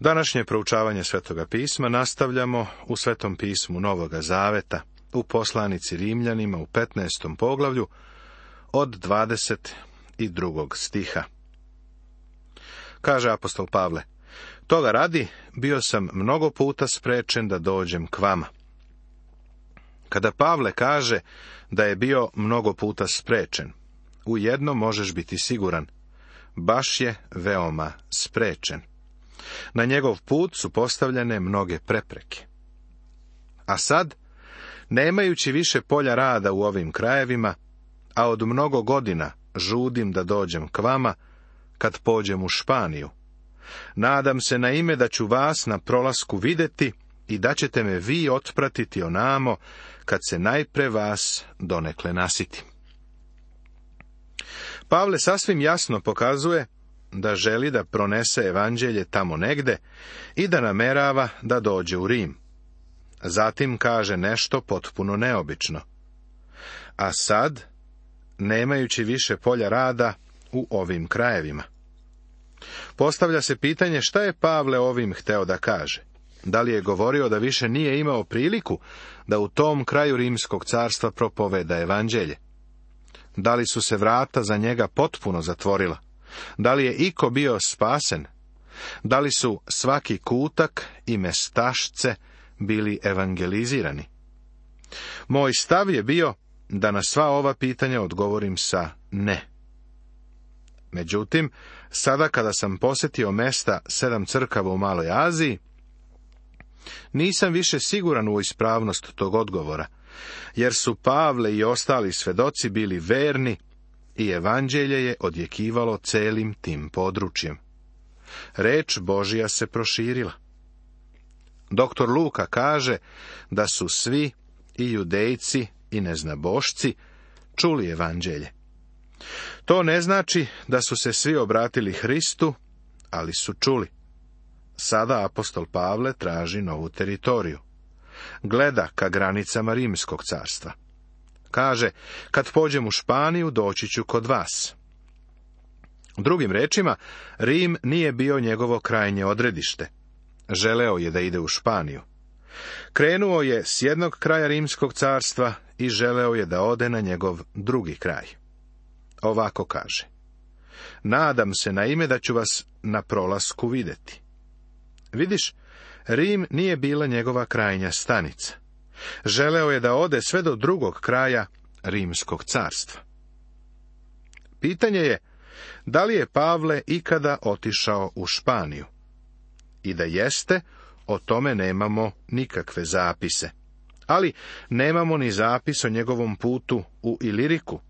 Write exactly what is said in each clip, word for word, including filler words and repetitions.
Današnje proučavanje Svetoga pisma nastavljamo u Svetom pismu Novoga Zaveta, u poslanici Rimljanima u petnaestom poglavlju od dvadeset drugog stiha. Kaže apostol Pavle: toga radi, bio sam mnogo puta sprečen da dođem k vama. Kada Pavle kaže da je bio mnogo puta sprečen, u jedno možeš biti siguran, baš je veoma sprečen. Na njegov put su postavljene mnoge prepreke. A sad, nemajući više polja rada u ovim krajevima, a od mnogo godina žudim da dođem k vama, kad pođem u Španiju, nadam se na ime da ću vas na prolasku vidjeti i da ćete me vi otpratiti onamo, kad se najpre vas donekle nasitim. Pavle sasvim jasno pokazuje da želi da pronese evanđelje tamo negde i da namerava da dođe u Rim. Zatim kaže nešto potpuno neobično. A sad, nemajući više polja rada u ovim krajevima. Postavlja se pitanje šta je Pavle ovim hteo da kaže. Da li je govorio da više nije imao priliku da u tom kraju Rimskog carstva propoveda evanđelje? Da li su se vrata za njega potpuno zatvorila? Da li je iko bio spasen? Da li su svaki kutak i mestašce bili evangelizirani? Moj stav je bio da na sva ova pitanja odgovorim sa ne. Međutim, sada kada sam posjetio mesta sedam crkava u Maloj Aziji, nisam više siguran u ispravnost tog odgovora, jer su Pavle i ostali svedoci bili verni i evanđelje je odjekivalo celim tim područjem. Reč Božja se proširila. Doktor Luka kaže da su svi, i judejci i neznabošci, čuli evanđelje. To ne znači da su se svi obratili Hristu, ali su čuli. Sada apostol Pavle traži novu teritoriju. Gleda ka granicama Rimskog carstva. Kaže, kad pođem u Španiju, doći ću kod vas. Drugim rečima, Rim nije bio njegovo krajnje odredište. Želeo je da ide u Španiju. Krenuo je s jednog kraja Rimskog carstva i želeo je da ode na njegov drugi kraj. Ovako kaže: nadam se na ime da ću vas na prolasku vidjeti. Vidiš, Rim nije bila njegova krajnja stanica. Želeo je da ode sve do drugog kraja Rimskog carstva. Pitanje je, da li je Pavle ikada otišao u Španiju? I da jeste, o tome nemamo nikakve zapise. Ali nemamo ni zapis o njegovom putu u Iliriku.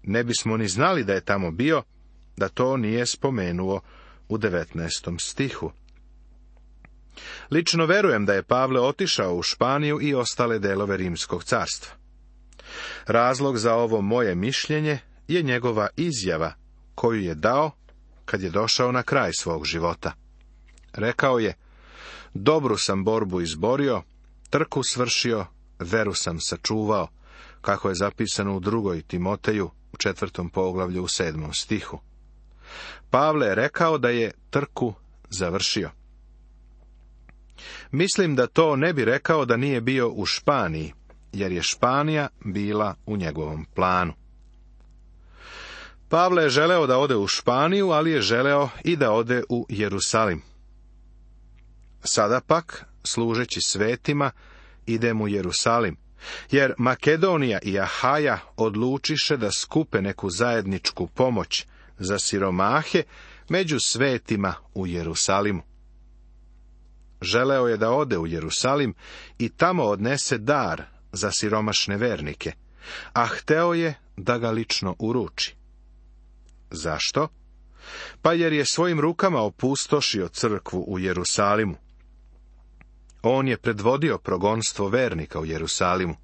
Ne bismo ni znali da je tamo bio, da to nije spomenuo u devetnaestom stihu. Lično verujem da je Pavle otišao u Španiju i ostale delove Rimskog carstva. Razlog za ovo moje mišljenje je njegova izjava koju je dao kad je došao na kraj svog života. Rekao je: dobru sam borbu izborio, trku svršio, veru sam sačuvao, kako je zapisano u drugoj Timoteju u četvrtom poglavlju u sedmom stihu. Pavle je rekao da je trku završio. Mislim da to ne bi rekao da nije bio u Španiji, jer je Španija bila u njegovom planu. Pavle je želeo da ode u Španiju, ali je želeo i da ode u Jerusalim. Sada pak, služeći svetima, idem u Jerusalim, jer Makedonija i Ahaja odlučiše da skupe neku zajedničku pomoć za siromahe među svetima u Jerusalimu. Želeo je da ode u Jerusalim i tamo odnese dar za siromašne vernike, a hteo je da ga lično uruči. Zašto? Pa jer je svojim rukama opustošio crkvu u Jerusalimu. On je predvodio progonstvo vernika u Jerusalimu.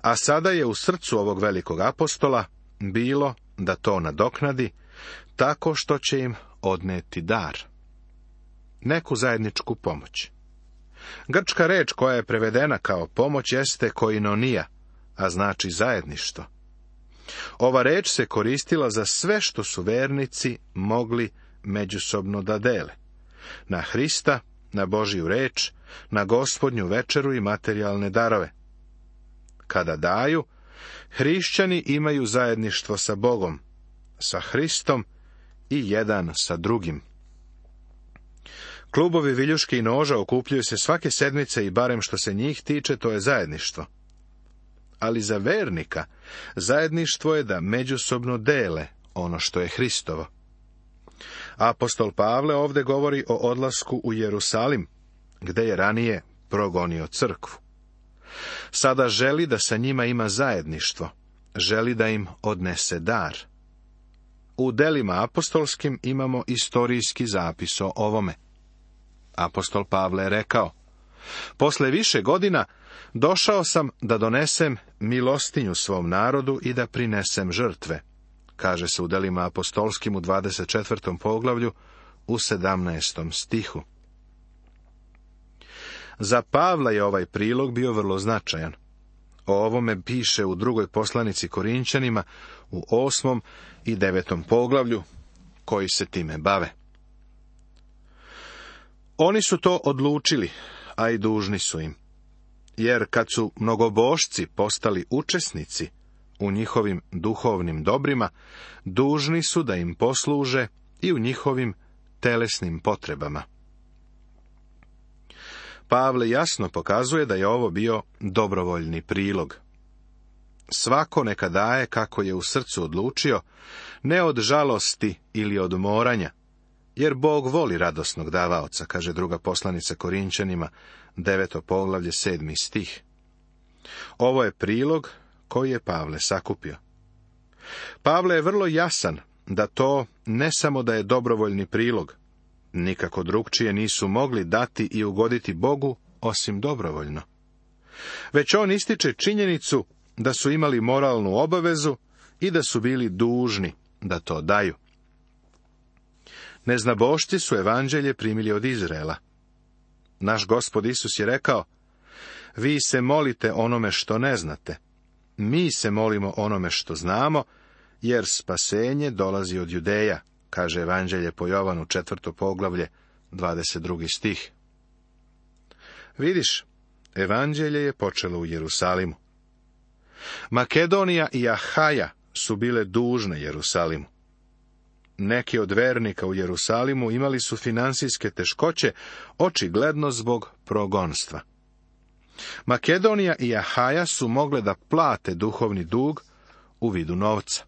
A sada je u srcu ovog velikog apostola bilo da to nadoknadi tako što će im odneti dar. Neku zajedničku pomoć. Grčka reč koja je prevedena kao pomoć jeste koinonija, a znači zajedništvo. Ova reč se koristila za sve što su vernici mogli međusobno da dele. na Hrista, na Božju reč, na Gospodnju večeru i materijalne darove. Kada daju, hrišćani imaju zajedništvo sa Bogom, sa Hristom i jedan sa drugim. Klubovi viljuške i noža okupljaju se svake sedmice i barem što se njih tiče, to je zajedništvo. Ali za vernika zajedništvo je da međusobno dele ono što je Hristovo. Apostol Pavle ovdje govori o odlasku u Jerusalim, gde je ranije progonio crkvu. Sada želi da sa njima ima zajedništvo, želi da im odnese dar. U delima apostolskim imamo istorijski zapis o ovome. Apostol Pavle je rekao: posle više godina došao sam da donesem milostinju svom narodu i da prinesem žrtve, kaže se u delima apostolskim u dvadeset četvrtom poglavlju u sedamnaestom stihu. Za Pavla je ovaj prilog bio vrlo značajan. O ovome piše u drugoj poslanici Korinćanima u osmom i devetom poglavlju, koji se time bave. Oni su to odlučili, a i dužni su im. Jer kad su mnogobošci postali učesnici u njihovim duhovnim dobrima, dužni su da im posluže i u njihovim telesnim potrebama. Pavle jasno pokazuje da je ovo bio dobrovoljni prilog. Svako neka daje kako je u srcu odlučio, ne od žalosti ili od moranja, jer Bog voli radosnog davaoca, kaže druga poslanica Korinćanima, deveto poglavlje, sedmi stih. Ovo je prilog koji je Pavle sakupio. Pavle je vrlo jasan da to ne samo da je dobrovoljni prilog, nikako drugčije nisu mogli dati i ugoditi Bogu osim dobrovoljno. Već on ističe činjenicu da su imali moralnu obavezu i da su bili dužni da to daju. Neznabošci su evanđelje primili od Izraela. Naš Gospod Isus je rekao: vi se molite onome što ne znate, mi se molimo onome što znamo, jer spasenje dolazi od Judeja, kaže evanđelje po Jovanu četvrto poglavlje, dvadeset drugi stih. Vidiš, evanđelje je počelo u Jerusalimu. Makedonija i Ahaja su bile dužne Jerusalimu. Neki od vernika u Jerusalimu imali su finansijske teškoće, očigledno zbog progonstva. Makedonija i Ahaja su mogle da plate duhovni dug u vidu novca.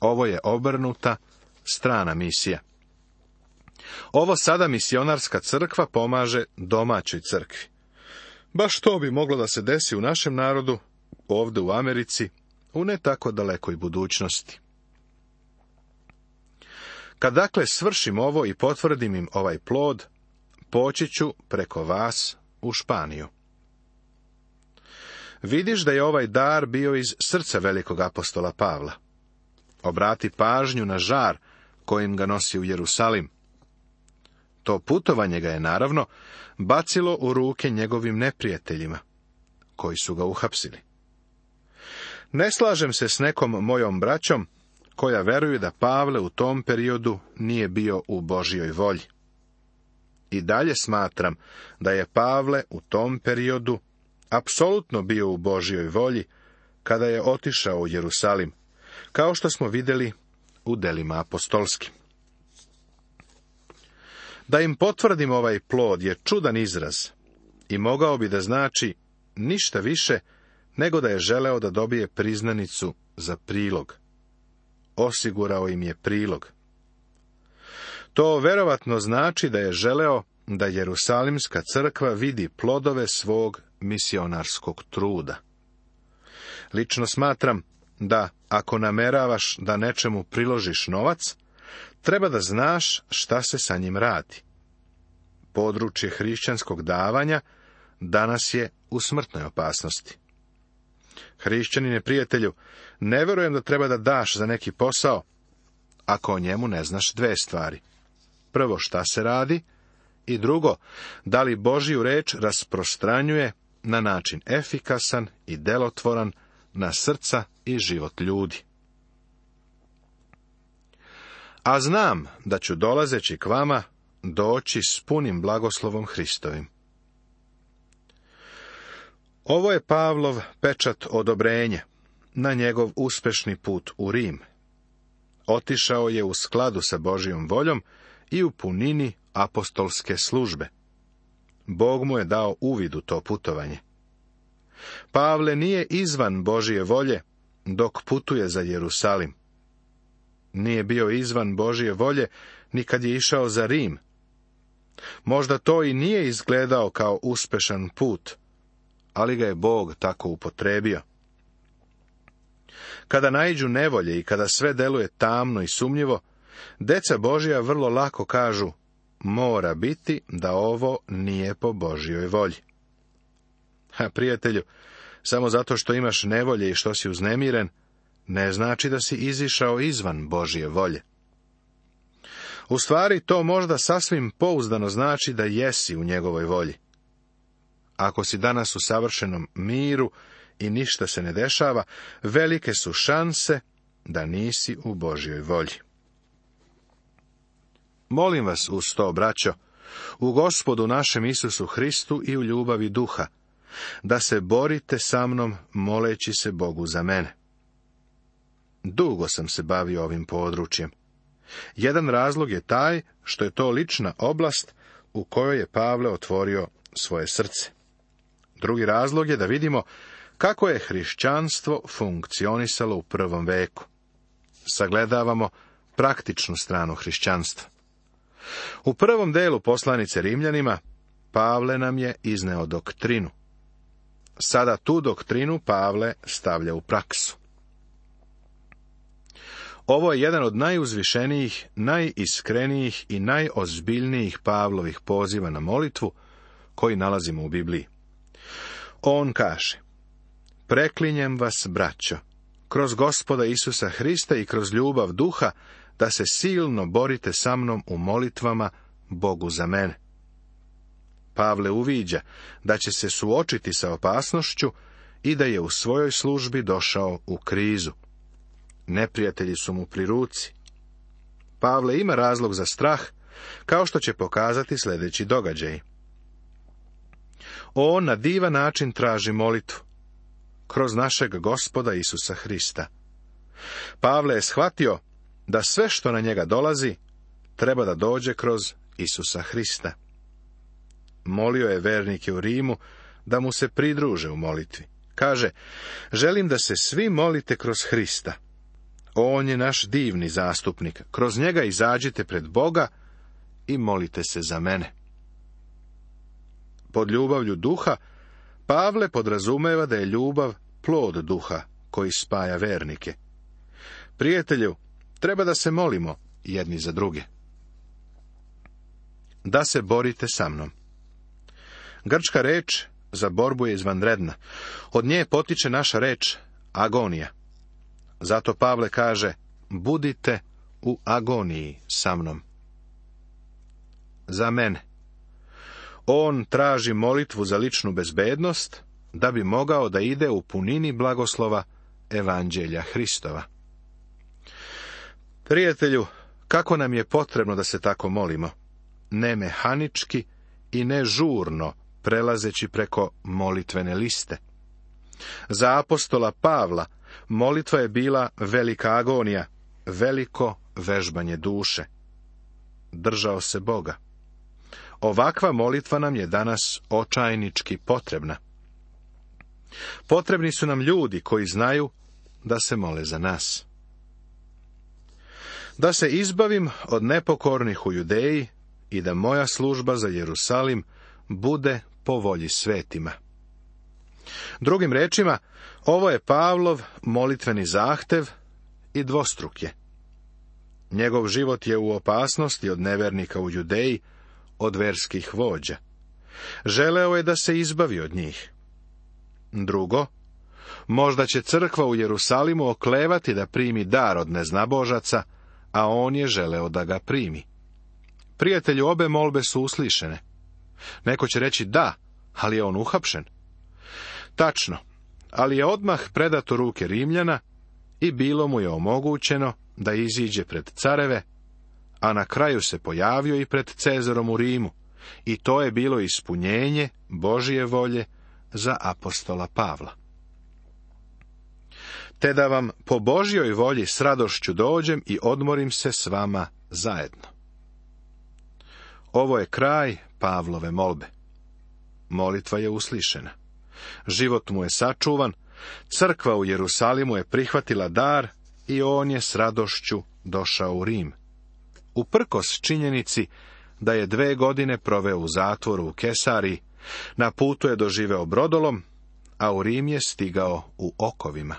Ovo je obrnuta strana misija. Ovo sada misionarska crkva pomaže domaćoj crkvi. Baš to bi moglo da se desi u našem narodu, ovdje u Americi, u ne tako dalekoj budućnosti. Kad dakle svršim ovo i potvrdim im ovaj plod, poći ću preko vas u Španiju. Vidiš da je ovaj dar bio iz srca velikog apostola Pavla. Obrati pažnju na žar kojim ga nosi u Jerusalim. To putovanje ga je, naravno, bacilo u ruke njegovim neprijateljima, koji su ga uhapsili. Ne slažem se s nekom mojom braćom, koja veruju da Pavle u tom periodu nije bio u Božjoj volji. I dalje smatram da je Pavle u tom periodu apsolutno bio u Božjoj volji kada je otišao u Jerusalim, kao što smo vidjeli u delima apostolskim. Da im potvrdim ovaj plod je čudan izraz i mogao bi da znači ništa više nego da je želeo da dobije priznanicu za prilog. Osigurao im je prilog. To verovatno znači da je želeo da Jerusalimska crkva vidi plodove svog misionarskog truda. Lično smatram da ako nameravaš da nečemu priložiš novac, treba da znaš šta se sa njim radi. Područje hrišćanskog davanja danas je u smrtnoj opasnosti. Hrišćanine prijatelju, ne verujem da treba da daš za neki posao, ako o njemu ne znaš dve stvari. Prvo, šta se radi, i drugo, da li Božju reč rasprostranjuje na način efikasan i delotvoran na srca i život ljudi. A znam da ću dolazeći k vama doći s punim blagoslovom Hristovim. Ovo je Pavlov pečat odobrenja na njegov uspešni put u Rim. Otišao je u skladu sa Božjom voljom i u punini apostolske službe. Bog mu je dao uvid u to putovanje. Pavle nije izvan Božje volje dok putuje za Jerusalim. Nije bio izvan Božje volje ni kad je išao za Rim. Možda to i nije izgledao kao uspešan put, ali ga je Bog tako upotrebio. Kada naiđu nevolje i kada sve deluje tamno i sumnjivo, deca Božja vrlo lako kažu, mora biti da ovo nije po Božjoj volji. A prijatelju, samo zato što imaš nevolje i što si uznemiren, ne znači da si izišao izvan Božje volje. U stvari, to možda sasvim pouzdano znači da jesi u njegovoj volji. Ako si danas u savršenom miru i ništa se ne dešava, velike su šanse da nisi u Božjoj volji. Molim vas uz to, braćo, u Gospodu našem Isusu Hristu i u ljubavi duha, da se borite sa mnom moleći se Bogu za mene. Dugo sam se bavio ovim područjem. Jedan razlog je taj što je to lična oblast u kojoj je Pavle otvorio svoje srce. Drugi razlog je da vidimo kako je hrišćanstvo funkcionisalo u prvom veku. Sagledavamo praktičnu stranu hrišćanstva. U prvom delu poslanice Rimljanima Pavle nam je izneo doktrinu. Sada tu doktrinu Pavle stavlja u praksu. Ovo je jedan od najuzvišenijih, najiskrenijih i najozbiljnijih Pavlovih poziva na molitvu koji nalazimo u Bibliji. On kaže, preklinjem vas, braćo, kroz Gospoda Isusa Hrista i kroz ljubav duha, da se silno borite sa mnom u molitvama Bogu za mene. Pavle uviđa da će se suočiti sa opasnošću i da je u svojoj službi došao u krizu. Neprijatelji su mu pri ruci. Pavle ima razlog za strah, kao što će pokazati sljedeći događaj. On na divan način traži molitvu, kroz našeg Gospoda Isusa Hrista. Pavle je shvatio da sve što na njega dolazi, treba da dođe kroz Isusa Hrista. Molio je vernike u Rimu da mu se pridruže u molitvi. Kaže, želim da se svi molite kroz Hrista. On je naš divni zastupnik. Kroz njega izađite pred Boga i molite se za mene. Pod ljubavlju duha, Pavle podrazumeva da je ljubav plod duha koji spaja vernike. Prijatelju, treba da se molimo jedni za druge. Da se borite sa mnom. Grčka reč za borbu je izvanredna. Od nje potiče naša reč agonija. Zato Pavle kaže, budite u agoniji sa mnom. Za mene. On traži molitvu za ličnu bezbednost, da bi mogao da ide u punini blagoslova Evanđelja Hristova. Prijatelju, kako nam je potrebno da se tako molimo? Ne mehanički i ne žurno, prelazeći preko molitvene liste. Za apostola Pavla molitva je bila velika agonija, veliko vežbanje duše. Držao se Boga. Ovakva molitva nam je danas očajnički potrebna. Potrebni su nam ljudi koji znaju da se mole za nas. Da se izbavim od nepokornih u Judeji i da moja služba za Jerusalim bude po volji svetima. Drugim rečima, ovo je Pavlov molitveni zahtev i dvostruk je. Njegov život je u opasnosti od nevernika u Judeji, od verskih vođa. Želeo je da se izbavi od njih. Drugo, možda će crkva u Jerusalimu oklevati da primi dar od neznabožaca, a on je želeo da ga primi. Prijatelju, obe molbe su uslišene. Neko će reći da, ali je on uhapšen. Tačno, ali je odmah predat u ruke Rimljana i bilo mu je omogućeno da iziđe pred careve, a na kraju se pojavio i pred Cezarom u Rimu, i to je bilo ispunjenje Božije volje za apostola Pavla. Te da vam po Božjoj volji s radošću dođem i odmorim se s vama zajedno. Ovo je kraj Pavlove molbe. Molitva je uslišena. Život mu je sačuvan, crkva u Jerusalimu je prihvatila dar i on je s radošću došao u Rim. Uprkos činjenici da je dve godine proveo u zatvoru u Kesariji, na putu je doživeo brodolom, a u Rim je stigao u okovima.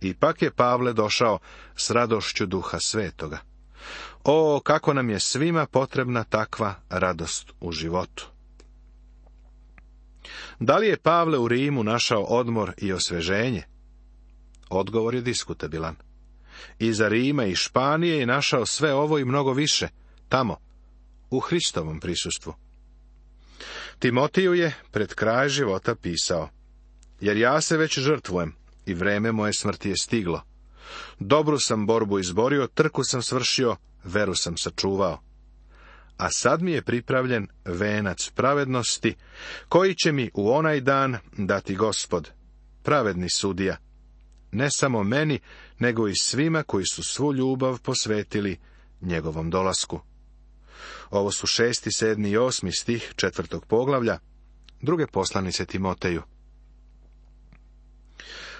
Ipak je Pavle došao s radošću Duha Svetoga. O, kako nam je svima potrebna takva radost u životu. Da li je Pavle u Rimu našao odmor i osveženje? Odgovor je diskutabilan. Iza Rima i Španije je našao sve ovo i mnogo više, tamo, u Hristovom prisustvu. Timotiju je pred kraj života pisao: jer ja se već žrtvujem i vreme moje smrti je stiglo. Dobru sam borbu izborio, trku sam svršio, veru sam sačuvao. A sad mi je pripravljen venac pravednosti, koji će mi u onaj dan dati Gospod, pravedni sudija, ne samo meni, nego i svima koji su svu ljubav posvetili njegovom dolasku. Ovo su šesti, sedmi i osmi stih četvrtog poglavlja druge poslanice Timoteju.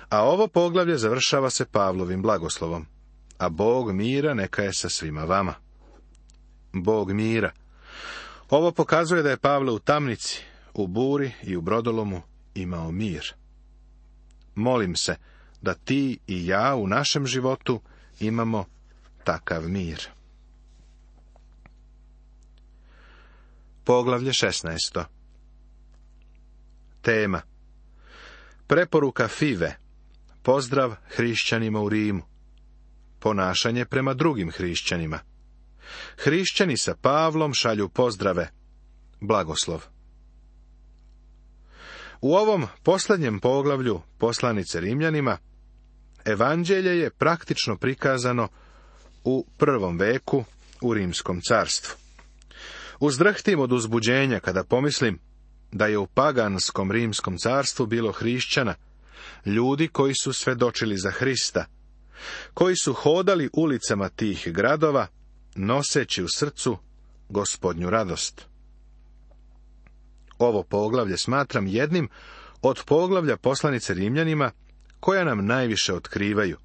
A ovo poglavlje završava se Pavlovim blagoslovom. A Bog mira neka je sa svima vama. Bog mira. Ovo pokazuje da je Pavle u tamnici, u buri i u brodolomu imao mir. Molim se da ti i ja u našem životu imamo takav mir. Poglavlje šesnaesto. Tema: preporuka Five. Pozdrav hrišćanima u Rimu. Ponašanje prema drugim hrišćanima. Hrišćani sa Pavlom šalju pozdrave. Blagoslov. U ovom posljednjem poglavlju poslanice Rimljanima, evanđelje je praktično prikazano u prvom veku u Rimskom carstvu. Uzdrhtim od uzbuđenja kada pomislim da je u paganskom Rimskom carstvu bilo hrišćana, ljudi koji su svedočili za Hrista, koji su hodali ulicama tih gradova, noseći u srcu Gospodnju radost. Ovo poglavlje smatram jednim od poglavlja poslanice Rimljanima koja nam najviše otkrivaju.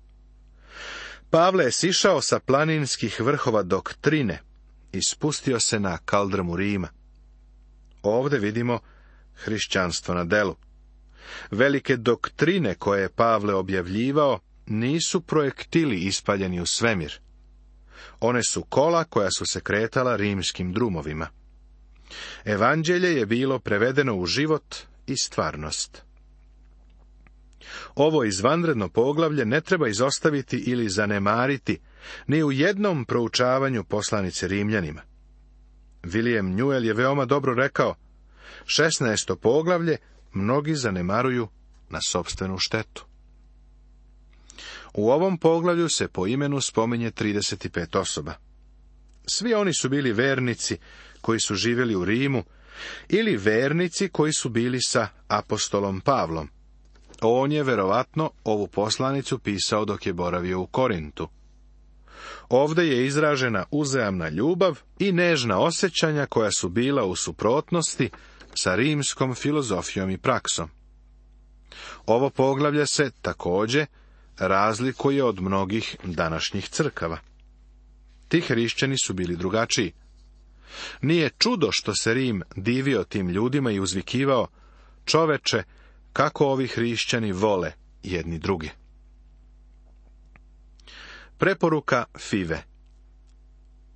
Pavle je sišao sa planinskih vrhova doktrine i spustio se na kaldrmu Rima. Ovdje vidimo hrišćanstvo na delu. Velike doktrine koje je Pavle objavljivao nisu projektili ispaljeni u svemir. One su kola koja su se kretala rimskim drumovima. Evanđelje je bilo prevedeno u život i stvarnost. Ovo izvanredno poglavlje ne treba izostaviti ili zanemariti ni u jednom proučavanju poslanice Rimljanima. William Newell je veoma dobro rekao: šesnaesto poglavlje mnogi zanemaruju na sopstvenu štetu. U ovom poglavlju se po imenu spominje trideset pet osoba. Svi oni su bili vernici koji su živjeli u Rimu ili vernici koji su bili sa apostolom Pavlom. On je verovatno ovu poslanicu pisao dok je boravio u Korintu. Ovdje je izražena uzajamna ljubav i nežna osjećanja koja su bila u suprotnosti sa rimskom filozofijom i praksom. Ovo poglavlje se također razlikuje od mnogih današnjih crkava. Ti hrišćani su bili drugačiji. Nije čudo što se Rim divio tim ljudima i uzvikivao: čoveče, kako ovi hrišćani vole jedni druge. Preporuka Five.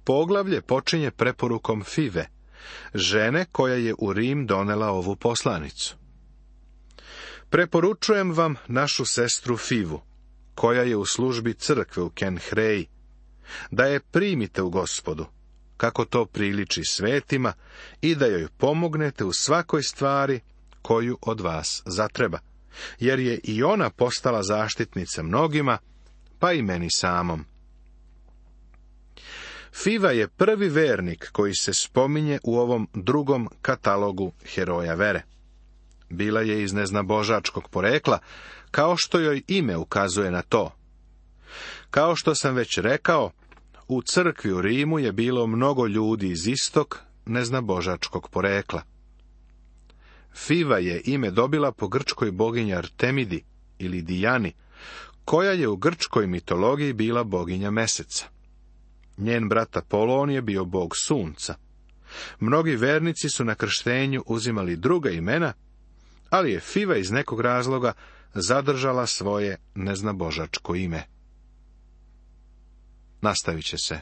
Poglavlje počinje preporukom Five, žene koja je u Rim donela ovu poslanicu. Preporučujem vam našu sestru Fivu, koja je u službi crkve u Kenhreji, da je primite u Gospodu, kako to priliči svetima, i da joj pomognete u svakoj stvari koju od vas zatreba, jer je i ona postala zaštitnica mnogima, pa i meni samom. Fiva je prvi vernik koji se spominje u ovom drugom katalogu heroja vere. Bila je iz neznabožačkog porekla, kao što joj ime ukazuje na to. Kao što sam već rekao, u crkvi u Rimu je bilo mnogo ljudi iz istog neznabožačkog porekla. Fiva je ime dobila po grčkoj boginji Artemidi ili Dijani, koja je u grčkoj mitologiji bila boginja meseca. Njen brat Apolon je bio bog sunca. Mnogi vernici su na krštenju uzimali druga imena, ali je Fiva iz nekog razloga zadržala svoje neznabožačko ime. Nastavit će se.